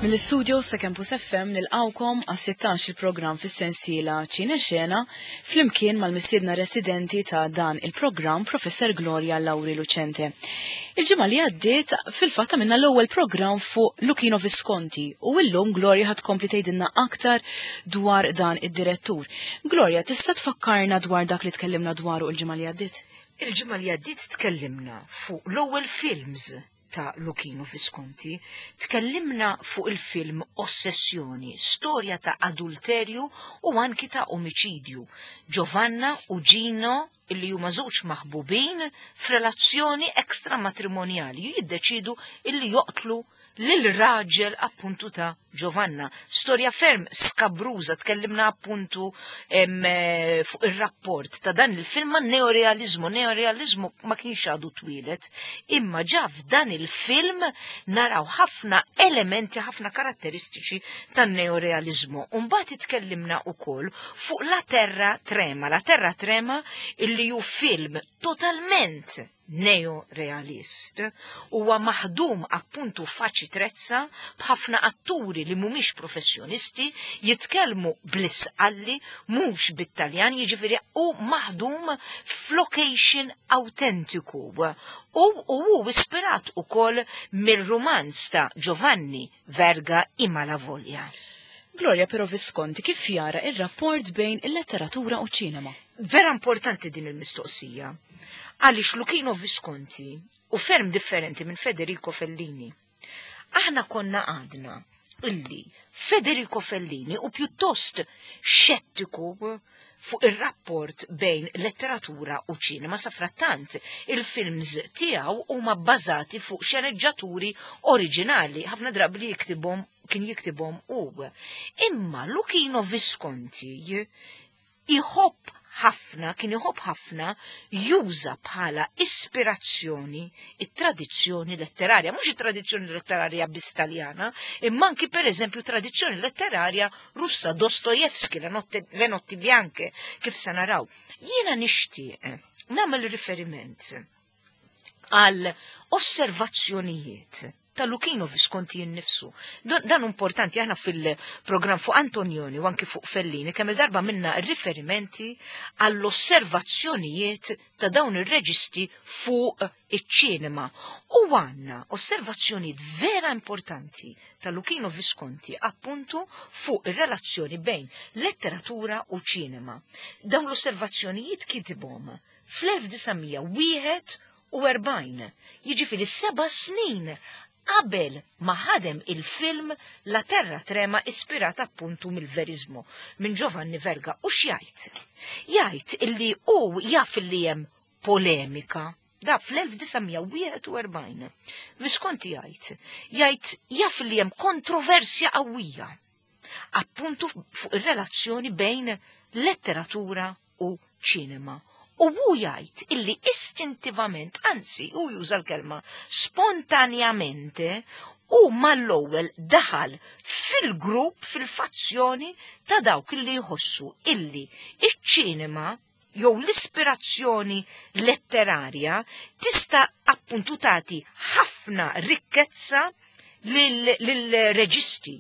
Mill-istudios ta' Campus FM nilqawkom għas-16 il-programm fis-sensiela Ċine Xena flimkien mal-missiedna residenti ta' dan il-programm Professor Gloria Lauri Lucente. Il-ġimgħa li għaddiet fil-fatt għamilna l-ewwel programm fuq Luchino Visconti u illum Gloria ħad tkompli tgħidilna aktar dwar dan id-direttur. Gloria, tista' tfakkarna dwar dak li tkellimna dwaru il-ġimgħa li għaddiet? Il-ġimgħa li għaddiet tkellimna fuq l-ewwel films ta' Luchino Visconti, tkellimna fuq il-film Ossessjoni, storja ta' adulterju u anki ta' omiċidju. Giovanna u Gino illi huma żewġ maħbubin f'relazzjoni ekstramatrimonjali jiddeċidu illi joqtlu lil raġel appuntu ta' Giovanna. Storja ferm skabruża tkellimna appuntu eh, fuq ir-rapport ta' dan il-film ma' neorealizmu. Neorealizmu ma kienx għadu twieled, imma ġa f'dan il-film naraw ħafna elementi, ħafna karatteristiċi tan neorealizmu. Umbagħad itkellimna ukoll fuq La Terra Trema. La Terra Trema illi hu film totalment neo-realist, huwa maħdum appuntu f'Aci Trezza b'ħafna atturi li mhumiex professjonisti jitkellmu bl-Isqalli mhux bit-Taljan, jiġifieri u maħdum f'location autentiku. U hu ispirat ukoll mir-rumanz ta' Giovanni Verga I Malavoglia. Gloria, però Visconti kif jara il-rapport bejn il-letteratura u ċinema? Vera importanti din il-mistoqsija. Għaliex Luchino Visconti u ferm differenti minn Federico Fellini. Aħna konna għadna illi Federico Fellini u pjuttost xettiku fuq ir-rapport bejn letteratura u ċinema sa frattant il-films tiegħu huma bbażati fuq xeneġġaturi oriġinali ħafna drabi li jiktibhom kien jiktibhom hu. Imma Luchino Visconti iħobb ħafna, kien iħobb ħafna juża bħala ispirazzjoni it-tradizzjoni letterarja, mhux it-tradizzjoni letterarja biss Taljana, imma anki pereżempju tradizzjoni letterarja Russa, Dostojevski, Le Notti, Le Notti Bianche, kif se naraw. Jiena nixtieq nagħmel riferiment għal osservazzjonijiet ta' Luchino Visconti innifsu. Dan importanti aħna fil-programm fuq Antonioni u anki fuq Fellini kemm il-darba minna riferimenti għall-osservazzjonijiet ta' dawn ir-reġisti fuq iċ-ċinema. U għandna osservazzjonijiet vera importanti ta' Luchino Visconti appuntu fuq ir-relazzjoni bejn letteratura u ċinema. Dawn l-osservazzjonijiet kitibhom fl-1941, jiġifieri 7 snin qabel ma ħadem il-film La Terra Trema ispirat appuntu mill-verizmu minn Giovanni Verga. U x'jgħid? Jgħid illi hu jaf illi hemm polemika da fl-1941. Visconti jgħid, jgħid jaf li hemm kontroversja qawwija appuntu fuq ir-relazzjoni bejn letteratura u ċinema. U hu jgħid illi istintivament, anzi hu juża l-kelma spontanjamente, u mal-ewwel daħal fil-grupp, fil-fazzjoni ta' dawk illi jħossu illi iċ-ċinema jew l-ispirazzjoni letterarja tista' appuntu tagħti ħafna rikkezza lill-reġisti.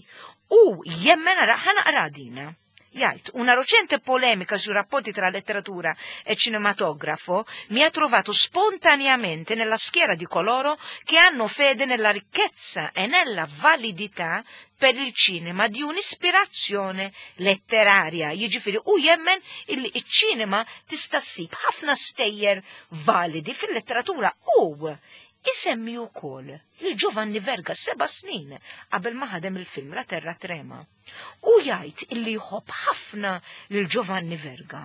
U jemmen ara ħa naqra dina. Jgħid, una recente polemica sui rapporti tra letteratura e cinematografo mi ha trovato spontaneamente nella schiera di coloro che hanno fede nella ricchezza e nella validità per il cinema di un'ispirazione letteraria. Jiġifieri u jemmen illi iċ-ċinema tista' ssib ħafna stejjer validi fil-letteratura u isemmi wkoll lil Giovanni Verga 7 snin qabel ma ħadem il-film La Terra Trema. U jgħid illi jħobb ħafna lil Giovanni Verga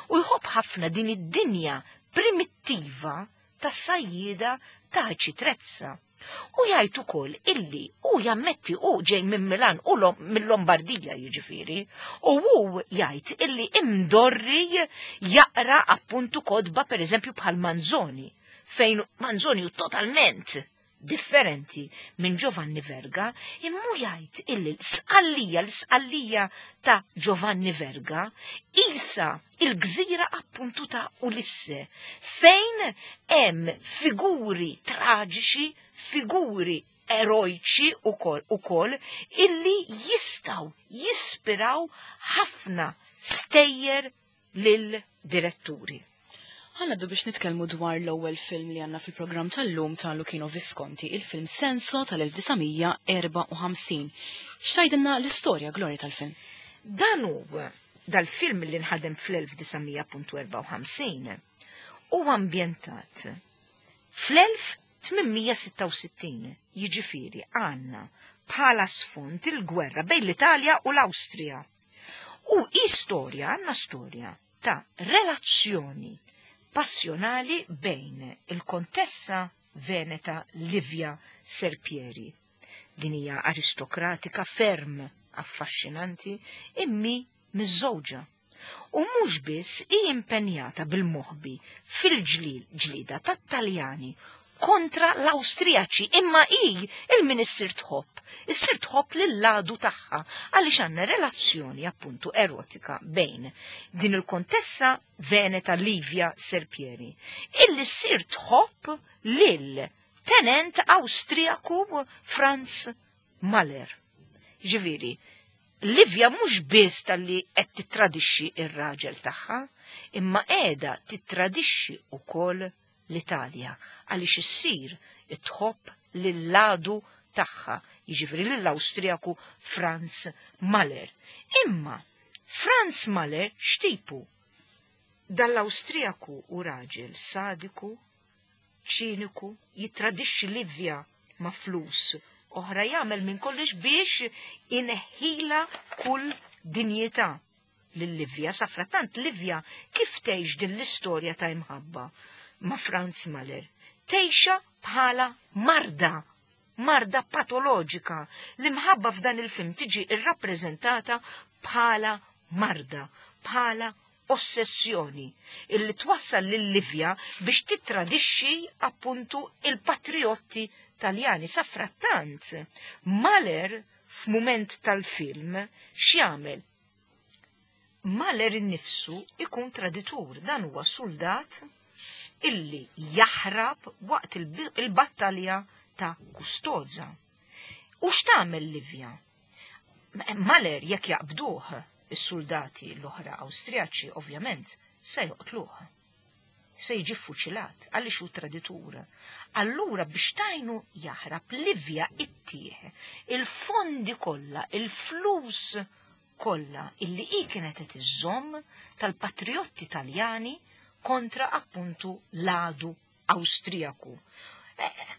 u jħobb ħafna din id-dinja primittiva tas-sajjida ta' Trezza. U jgħid ukoll illi u jammetti u ġej minn Milan u mill-Lombardija jiġifieri, u hu jgħid illi imdorri jaqra appuntu kotba pereżempju bħal Manzoni, fejn Manzoni hu totalment differenti minn Giovanni Verga, immu jgħid illi l-sqallija, l-sqallija ta' Giovanni Verga, isa il-gżira appuntu ta' Ulisse, fejn hemm figuri traġiċi, figuri erojċi ukoll illi jistgħu jispiraw ħafna stejjer lil diretturi. Ħa ngħaddu biex nitkellmu dwar l-ewwel film li għandna fil-programm tal-lum ta' Luchino Visconti, il-film Senso tal-1954. X'tgħidilna l-istorja, Gloria, tal-film? Dan hu dal-film li nħadem fl-1954 huwa ambjentat fl-1866, jiġifieri għandna bħala sfond il-gwerra bejn l-Italja u l-Awstrija. U istorja, għandna storja ta' relazzjoni passjonali bejn il-kontessa Veneta Livia Serpieri. Din hija aristokratika ferm affaxxinanti immi miżżewġa. U mhux biss hi impenjata bil-moħbi fil-ġlil ġlida tat-Taljani kontra l-Awstrijaċi, imma hi il-minister tħobb, issir tħobb lil-ladu tagħha għaliex għandna relazzjoni appuntu erotika bejn din il-kontessa Veneta Livia Serpieri illi ssir tħobb lil tenent Awstrijaku Franz Mahler. Ġifieri, Livia mhux biss talli qed tittradixxi ir-raġel tagħha, imma qiegħda tittradixxi wkoll l-Italja għaliex issir tħobb lil-ladu tagħha, jiġifieri lill-Awstrijaku Franz Mahler. Imma Franz Mahler x'tipu? Dal-Awstrijaku u raġel sadiku, ċiniku, jittradixxi Livia ma' flus oħra, jagħmel minn kollox biex ineħħila kull dinjità lil Livia. Safrattant Livia kif tgħix din l-istorja ta' imħabba ma' Franz Mahler? Tgħixha bħala marda, marda patoloġika. L-imħabba f'dan il-film tiġi irrappreżentata bħala marda, bħala ossessjoni illi twassal lil Livia biex tittradixxi appuntu il-patriotti Taljani. Safrattant, Mahler f'mument tal-film x'jagħmel? Mahler innifsu ikun traditur, dan huwa soldat illi jaħrab waqt il-battalja ta' Custoza. U x'tagħmel Livia? Mahler jekk jaqbduh is-soldati l-oħra Awstrijaċi ovvjament se joqtluh. Se jiġi fuċilat għaliex hu traditur. Allura biex tajnu jaħrab Livia ittieħ il-fondi kollha, il-flus kollha illi hi kienet qed iżżomm tal-patriotti Taljani kontra appuntu l-għadu Awstrijaku.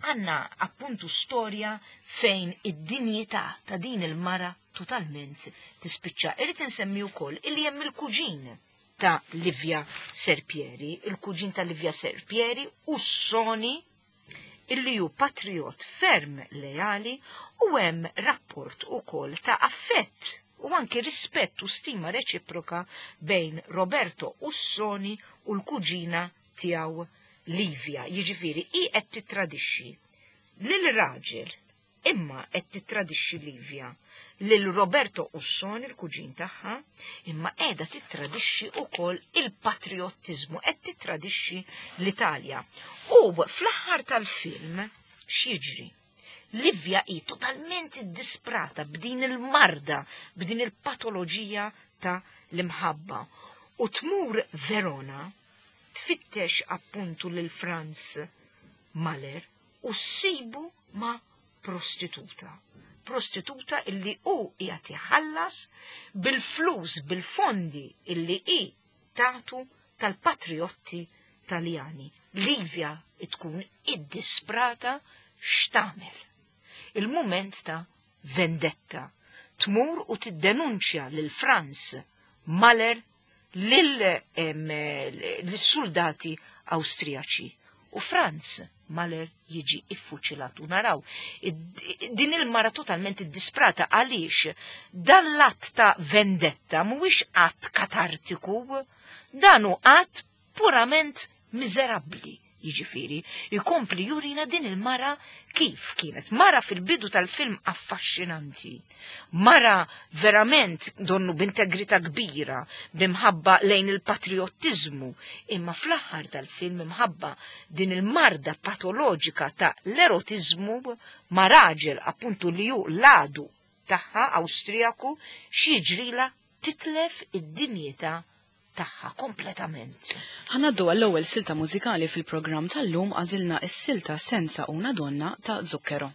Għanna appuntu storja fejn id-dinjità ta' din il-mara totalment tispiċċa. Irrid insemmi wkoll illi hemm il-kuġin ta' Livia Serpieri, il-kuġin ta' Livia Serpieri Ussoni, illi hu patriot ferm leali u hemm rapport ukoll ta' affett u anki rispett u stima reċiproka bejn Roberto Ussoni u l-kuġina tiegħu Livia. Jiġifieri hi qed tittradixxi lil raġel imma qed tittradixxi Livia lil Roberto Ussoni l-kuġin tagħha, imma qiegħda tittradixxi wkoll il-patriottiżmu, qed tittradixxi l-Italja. U fl-aħħar tal-film x'jiġri? Livia hi totalment iddisprata b'din il-marda, b'din il-patoloġija ta' l-imħabba. U tmur Verona tfittex appuntu lil Franz Mahler u ssibu ma' prostituta. Prostituta illi hu qiegħed iħallas bil-flus, bil-fondi illi hi tatu tal-patriotti Taljani. Livia tkun iddisprata x'tagħmel. Il-mument ta' vendetta. Tmur u tiddenunċja lil Franz Mahler lill-soldati Awstrijaċi. U Franz Mahler jiġi iffuċilat u naraw din il-mara totalment iddisprata għaliex dan l-att ta' vendetta mhuwiex att katartiku, dan hu att purament miżerabbli. Jiġifieri, jkompli jurina din il-mara kif kienet. Mara fil-bidu tal-film affaxxinanti. Mara verament donnu b'integrità kbira, b'imħabba lejn il-patriottiżmu, imma fl-aħħar tal-film imħabba din il-marda patoloġika ta' l-erotiżmu ma' raġel appuntu li hu l-għadu tagħha Awstrijaku x'jiġrilha titlef id-dinjità tagħha kompletament. Ħa ngħaddu għall-ewwel silta mużikali fil-programm tal-lum għażilna s-silta Senza una donna ta' Zucchero.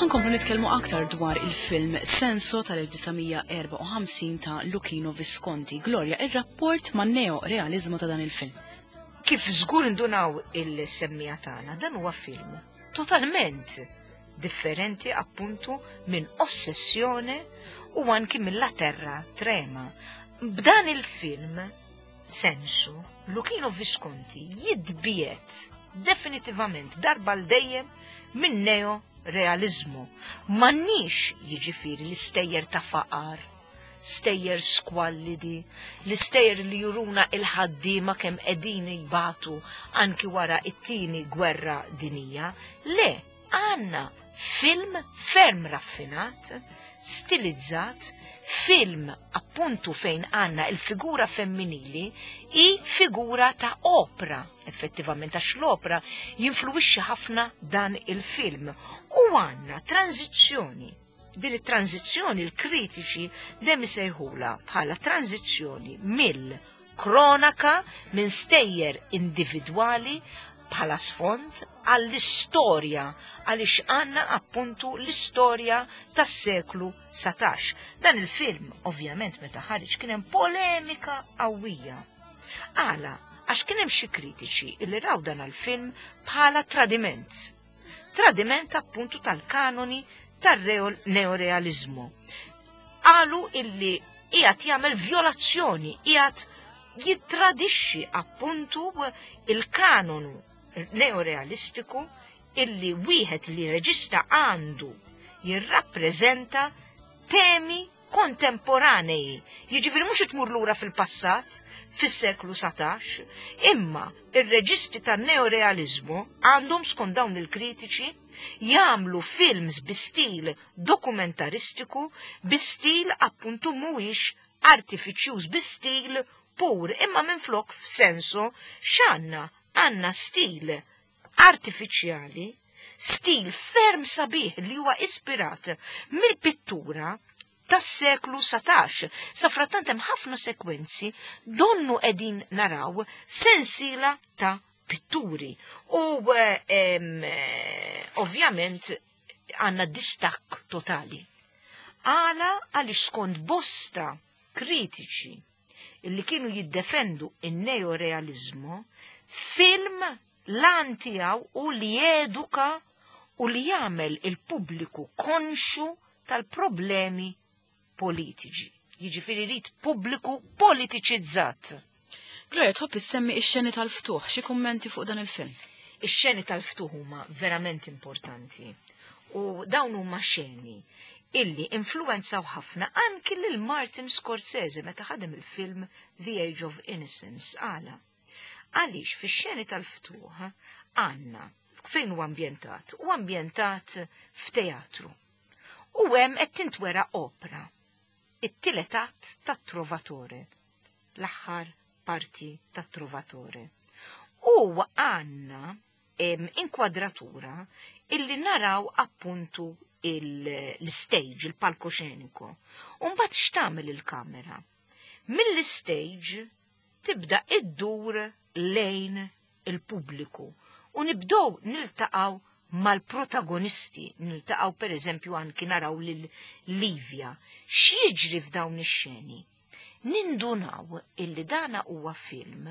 Ħankomplu nitkellmu aktar dwar il-film Senso tal-1954 ta' Luchino Visconti. Gloria, ir-rapport man neo-realizmu ta' dan il-film. Kif żgur indunaw il-semmija tagħna, dan huwa film totalment differenti appuntu minn Ossessjone u anki mill-La Terra Trema. B'dan il-film Sensu, Luchino Visconti jitbiet definitivament darba l dejjem minn neo realizmu. M'għandniex jiġifieri l-istejjer ta' faqar, stejjer skwallidi, l-istejjer li juruna il-ħaddiema kemm qegħdin jbatu anki wara it-tieni gwerra dinija. Le, għandna film ferm raffinat, stilizzat, film appuntu fejn għandna il-figura femminili i figura ta' opra, effettivament għax l-opra jinfluwixxi ħafna dan il-film. U għandna tranzizzjoni. Din it-tranzizzjoni l-kritiċi dejjem isejħula bħala tranzizzjoni mill-kronaka minn stejjer individwali bħala sfond għall-istorja għaliex għandna appuntu l-istorja tas-seklu 19. Dan il-film, ovvjament, meta ħareġ kien hemm polemika qawwija. Għala, għax kien hemm xi kritiċi li raw dan il-film bħala tradiment. Tradiment appuntu tal-kanoni tar-neorealizmu. Qalu illi qiegħed jagħmel violazzjoni, qiegħed jittradixxi appuntu il-kanonu neorealistiku illi wieħed li reġista għandu jirrappreżenta temi kontemporanei. Jiġifieri mhux tmur lura fil-passat fis-seklu 19, imma ir-reġisti tan-neorealiżmu għandhom skont dawn il-kritiċi jagħmlu films bi stil dokumentaristiku, bi stil appuntu mhuwiex artifiċjuż, bi stil pur, imma minflok f'Senso x'għandna? Għandna stil artifiċjali, stil ferm sabiħ li huwa ispirat mill-pittura tas-seklu 19. Safrattant hemm ħafna sekwenzi donnu qegħdin naraw sensiela ta' pitturi. U ovvjament għandna distakk totali. Għala għaliex skont bosta kritiċi illi kienu jiddefendu in-neorealizmu, film l-għan tiegħu u li jeduka u li jagħmel il-pubbliku konxu tal-problemi politiċi. Jiġifieri rid pubbliku politiċizzat. Gloria, tħobb issemmi ix-xeni tal-ftuħ, xi kummenti fuq dan il-film? Ix-xeni tal-ftuħ huma verament importanti. U dawn huma xeni illi influenzaw ħafna anki lil Martin Scorsese meta ħadem il-film The Age of Innocence. Għala. Għaliex fix-xeni tal-ftuħ għandna fejn huwa ambjentat? Huwa ambjentat f'teatru. U hemm qed tintwera opra, it-tielet att tat-Trovatore, l-aħħar parti tat-Trovatore. U għandna inkwadratura illi naraw appuntu l-stage, il-palkoxeniku. U mbagħad x'tagħmel il-kamera? Mill-stage tibda iddur lejn il-pubbliku u nibdew niltaqgħu mal-protagonisti, niltaqgħu per eżempju anki naraw lil Livia. X'jiġri f'dawn ix-xeni? Nindunaw illi dana huwa film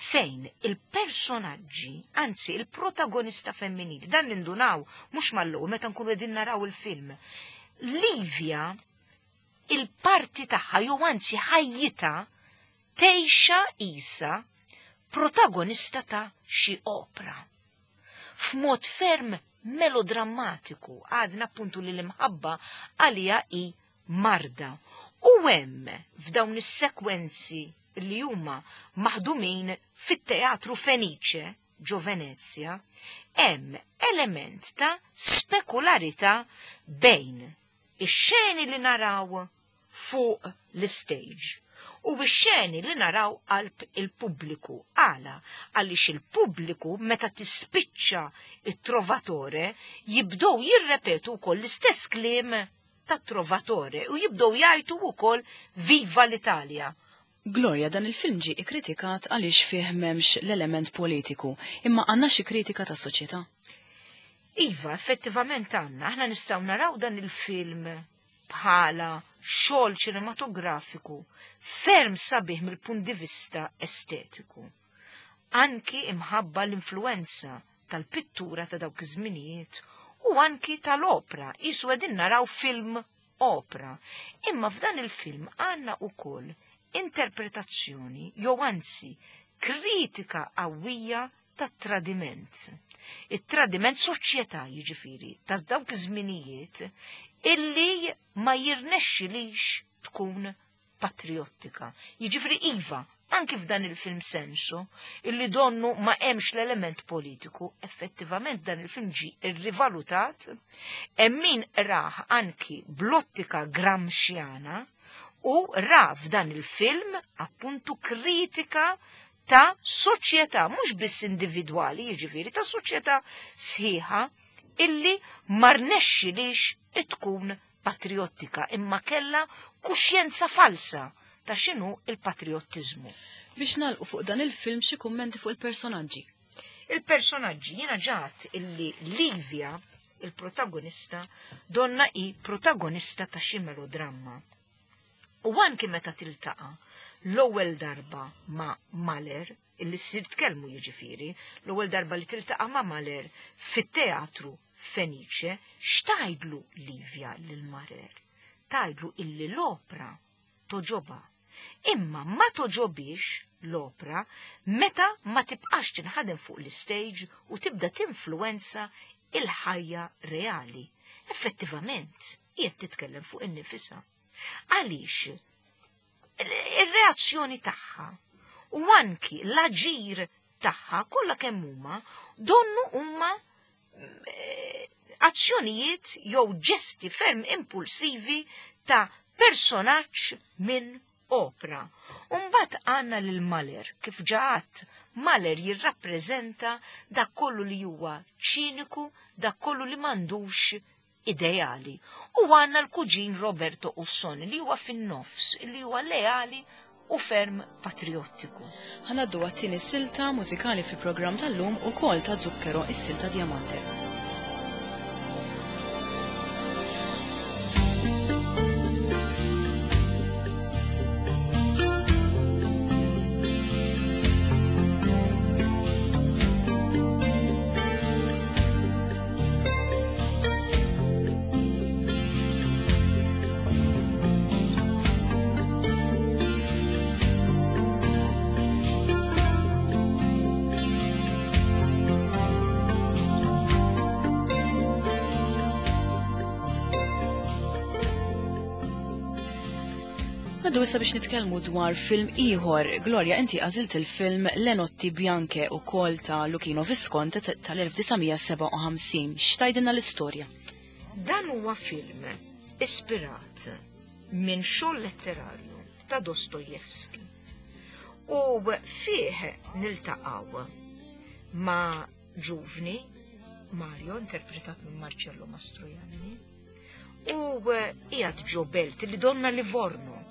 fejn il-personaġġi, anzi il-protagonista femminili, dan nindunaw mhux mal-ewwel meta nkunu qegħdin naraw il-film. Livia, il-parti tagħha jew anzi ħajjitha tgħixha qisha protagonista ta' xi opra. F'mod ferm melodrammatiku, għadna appuntu li l-imħabba għalija hi marda. U hemm f'dawn is-sekwenzi li huma maħdumin fit-Teatru Fenice ġo Venezja, hemm element ta' spekularità bejn ix-xeni li naraw fuq l-istage u x-xeni li naraw qalb il-pubbliku. Għala? Għaliex il-pubbliku meta tispiċċa it-Trovatore jibdew jirrepetu wkoll l-istess kliem tat-Trovatore u jibdew jgħajtu wkoll Viva l-Italja. Gloria, dan il-film ġie ikkritikat għaliex fih m'hemmx l-element politiku, imma għandna xi kritika tas-soċjetà? Iva, effettivament għandna. Aħna nistgħu naraw dan il-film bħala xogħol ċinematografiku ferm sabiħ mill-punt di vista estetiku. Anki imħabba l-influenza tal-pittura ta' dawk iż-żminijiet u anki tal-opra, qisu qegħdin naraw film opra. Imma f'dan il-film għandna wkoll interpretazzjoni jew anzi kritika qawwija tat-tradiment. It-tradiment soċjetà jiġifieri ta' dawk iż-żminijiet illi ma jirnexxilix tkun patriottika. Jiġifieri iva, anki f'dan il-film Senso, illi donnu ma hemmx l-element politiku, effettivament dan il-film ġi irrivalutat, hemm min rah anki bl-ottika Gramsciana u ra f'dan il-film appuntu kritika ta' soċjetà, mhux biss individwali, jiġifieri ta' soċjetà sħiħa illi ma rnexxilix tkun patriottika, imma kella kuxjenza falsa ta' x'inhu il-patriottiżmu. Biex nagħlqu fuq dan il-film xi kummenti fuq il-personaġġi. Il-personaġġi jiena ġat illi Livia, il-protagonista, donna hi protagonista ta' xi melodramma. U anki meta tiltaqa' l-ewwel darba ma' Mahler, illi ssir tkellmu jiġifieri, l-ewwel darba li tiltaqa' ma' Mahler fit-teatru Fenice, x'tgħidlu Livia lil Mahler? Tgħidlu illi l-opra toġobha. Imma ma toġobhiex l-opra meta ma tibqax tinħadem fuq l-istage u tibda tinfluwenza il-ħajja reali. Effettivament, qiegħed titkellem fuq innifisha. Għaliex ir-reazzjoni tagħha u anki l-aġir tagħha kollha kemm huma donnu huma eh, azzjonijiet jew ġesti ferm impulsivi ta' personaġġ minn opra. Umbat għanna lil Mahler, kif ġaħat, Mahler jirrappreżenta dak kollu li huwa ċiniku, dak kollu li m'għandux ideali. U għanna l-kuġin Roberto Ussoni li huwa fin-nofs, li huwa leali u ferm patriottiku. Ħa ngħaddu għat-tieni silta mużikali fil-programm tal-lum ukoll ta' Zucchero, is-silta Diamante. Għaddu issa biex nitkellmu dwar film ieħor. Gloria, inti għażilt il-film Le Notti Bianche u kol ta' Luchino Visconti tal-1957. X'tgħidilna l-istorja? Dan huwa film ispirat minn xogħol letterarju ta' Dostojevski. U fih niltaqgħu ma' ġuvni Mario, interpretat minn Marcello Mastroianni, u qiegħed ġo belt li donna Livorno.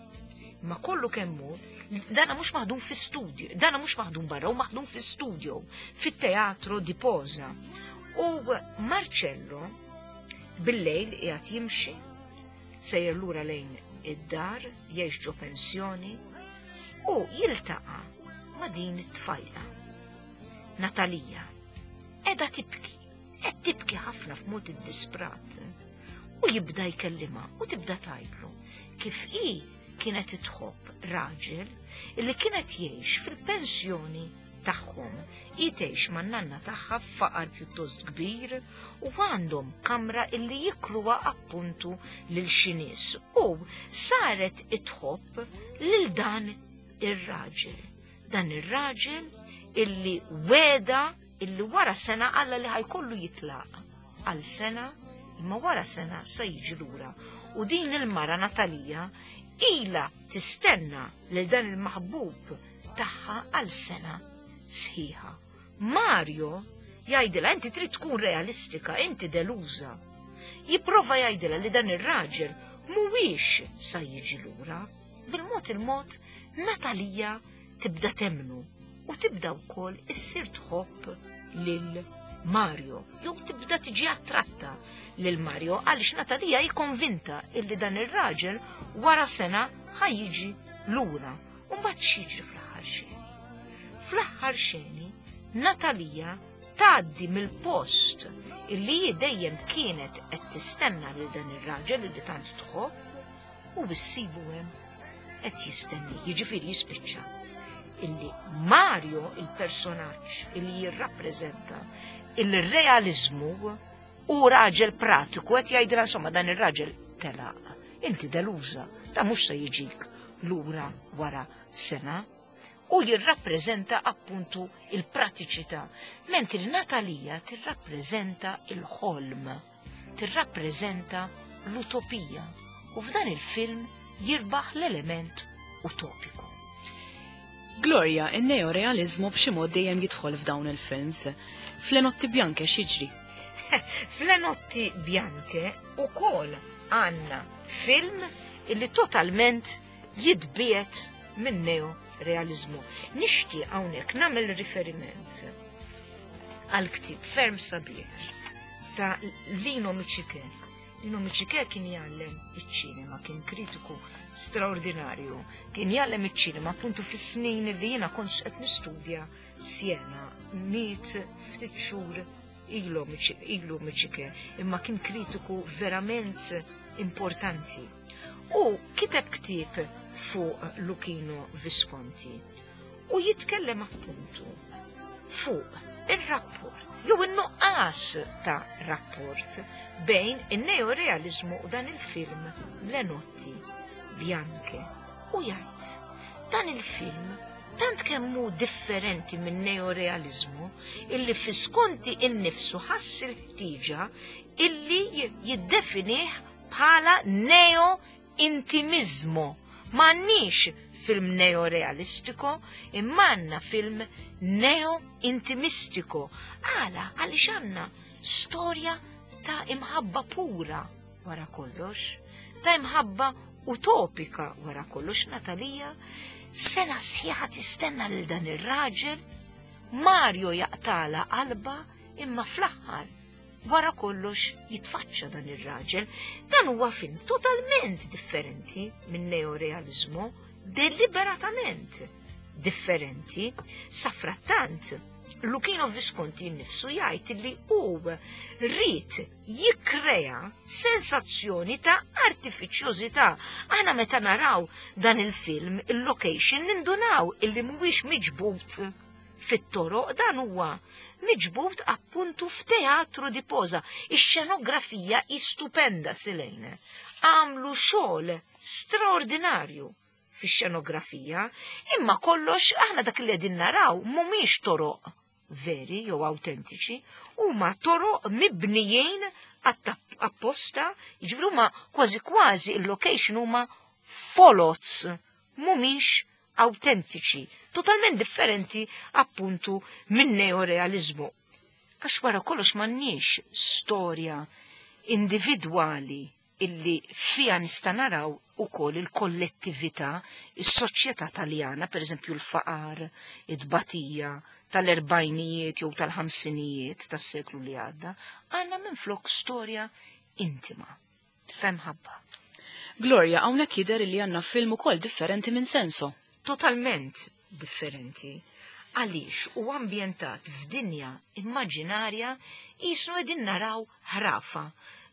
Ma kollu kemmu, dana mhux maħdum fi studio, dana mhux maħdum barra, u maħdum fi studio, fit-teatro di Posa. U Marcello bil-lejl qiegħed jimxi, sejjer lura lejn id-dar, jgħix ġo pensjoni, u jiltaqa' ma' din it-tfajla. Natalija, qiegħda tibki, qed tibki ħafna f'mod iddisprat. U jibda jkellimha u tibda tgħidlu kif hi kienet tħobb raġel illi kienet jgħix fil-pensjoni tagħhom. Hi tgħix man-nanna tagħha f'faqar pjuttost kbir u għandhom kamra illi jikruha appuntu lil xi nies u saret itħobb lil dan ir-raġel. Dan ir-raġel illi weda illi wara sena alla li ħajkollu jitlaq għal sena imma wara sena se jiġi lura. U din il-mara Natalija ila tistenna lil dan il-maħbub tagħha għal sena sħiħa. Mario jgħidilha inti trid tkun realistika, inti deluża. Jipprova jgħidilha li dan ir-raġel mhuwiex sa jiġi lura. Bil-mod il-mod Natalija tibda temmnu u tibda wkoll issir tħobb lil Mario, jew tibda tiġi attratta lil Mario għaliex Natalija hi konvinta illi dan ir-raġel wara sena ħa jiġi lura. U mbagħad x'jiġri fl-aħħar xeni? Fl-aħħar xeni Natalija tgħaddi mill-post illi hi dejjem kienet qed tistenna lil dan ir-raġel illi tant tħobb u issibu hemm qed jistenni, jiġifieri jispiċċa illi Mario, il-personaġġ illi jirrappreżenta il-realizmu u raġel pratiku qed jgħidilha insomma dan ir-raġel telaq. Inti deluża, ta' mhux se jiġik lura wara sena u jirrappreżenta appuntu il-pratiċità, mentri Natalija tirrappreżenta il-ħolm, tirrappreżenta l-utopija u f'dan il-film jirbaħ l-element utopiku. Gloria, in-neorealizmu b'xi mod dejjem jidħol f'dawn il-films. F'Le Notti Bianche x'jiġri? F'Le Notti Bianche ukoll għandna film illi totalment jitbiegħed minn neorealizmu. Nixtieq hawnhekk nagħmel riferiment għal ktieb ferm sabiħ ta' Lino Miccichè. Lino Miccichè kien jgħallem iċ-ċinema, kien kritiku straordinarju, kien jgħallem iċ-ċinema appuntu fis-snin li jiena kont qed nistudja Siena, miet ftit xhur ilu ilu Miccichè, imma kien kritiku verament importanti. U kiteb ktieb fuq Luchino Visconti u jitkellem appuntu fuq ir-rapport jew in-nuqqas ta' rapport bejn in-neorealizmu u dan il-film Le Notti Bianche. U jgħid, dan il-film Tant kemm hu differenti minn neorealiżmu illi Visconti innifsu ħass il-ħtieġa illi jiddefinih bħala neo-intimismo. M'għandniex film neorealistiko, imma għandna film neo-intimistiko. Għala, għaliex għandna storja ta' imħabba pura wara kollox, ta' imħabba utopika wara kollox. Natalija sena sħiħa tistenna lil dan ir-raġel, Mario jaqtala qalba, imma fl-aħħar wara kollox jitfaċċa dan ir-raġel. Dan huwa film totalment differenti minn neorealizmu, deliberatament differenti. Safrattant, Luchino Visconti nnifsu jgħid li hu ried jikkrea sensazzjoni ta' artifiċjożità. Aħna meta naraw dan il-film, il-location, nindunaw illi mhuwiex miġbud fit-toroq, dan huwa miġbud appuntu f'teatru di posa. Ix-xenografija hi stupenda, Silene. Għamlu xogħol straordinarju fix-xenografija, imma kollox aħna dak li qegħdin naraw mhumiex toroq veri jew autentiċi, huma toroq mibnijin apposta, jiġifieri huma kważi kważi il-location huma folots, mhumiex autentiċi, totalment differenti appuntu minn neorealizmu. Għax wara kollox m'għandniex storja individwali illi fija nista' naraw ukoll il-kollettività, is-soċjetà Taljana, per eżempju l-faqar, it-tbatija tal-erbajnijiet jew tal-ħamsinijiet tas-seklu li għadda, għandna minflok storja intima, ta' imħabba. Gloria, hawnhekk jidher li għandna film ukoll differenti minn Senso. Totalment differenti. Għaliex u ambjentat f'dinja immaġinarja, jisnu qegħdin naraw ħrafa,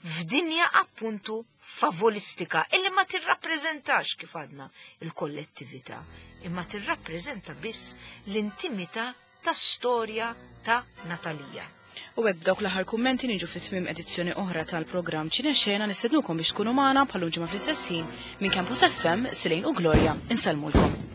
f'dinja appuntu favolistika illi ma tirrappreżentax kif għadna il-kollettività, imma tirrappreżenta biss l-intimità ta' storja ta' Natalija. U hekk b'dawk l-aħħar kummenti niġu fi tmiem edizzjoni oħra tal-programm Ċinexxena. Nistednukom biex tkunu magħna bħal ġimgħa fl-istess ħin minn Campus FM. Silejn u Gloria insellmulkom.